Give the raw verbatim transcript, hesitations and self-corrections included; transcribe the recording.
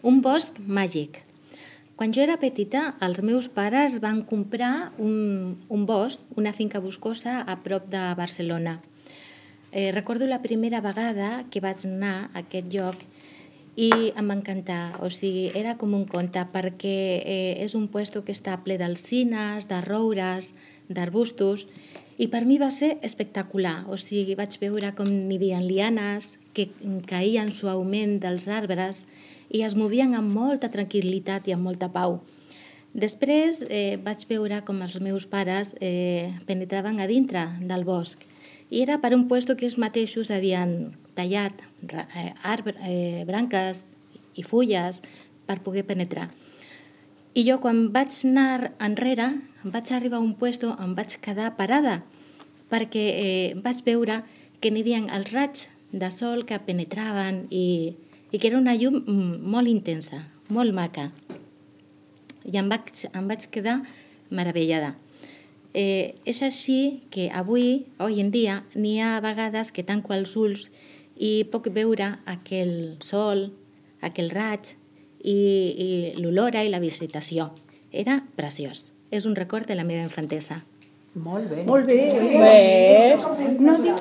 Un bosc màgic. Quan jo era petita, els meus pares van comprar un, un bosc, una finca boscosa a prop de Barcelona. Eh, recordo la primera vegada que vaig anar a aquest lloc i em va encantar. O sigui, era com un conte perquè eh, és un puesto que està ple d'alzines, de roures, d'arbustos, i per mi va ser espectacular. O sigui, vaig veure com n'hi havia lianes que caïen suaument dels arbres i es movien amb molta tranquil·litat i amb molta pau. Després eh, vaig veure com els meus pares eh, penetraven a dintre del bosc i era per un puesto que ells mateixos havien tallat eh, arbre, eh, branques i fulles per poder penetrar. I jo quan vaig anar enrere, vaig arribar a un puesto on vaig quedar parada perquè eh, vaig veure que n'hi havia els raigs de sol que penetraven i, i que era una llum molt intensa, molt maca. I em vaig, em vaig quedar meravellada. Eh, és així que avui, avui en dia, n'hi ha vegades que tanco els ulls i puc veure aquell sol, aquell raig i, i l'olora i la visitació. Era preciós. És un record de la meva infantesa. Molt bé. Molt bé. Bé. No diu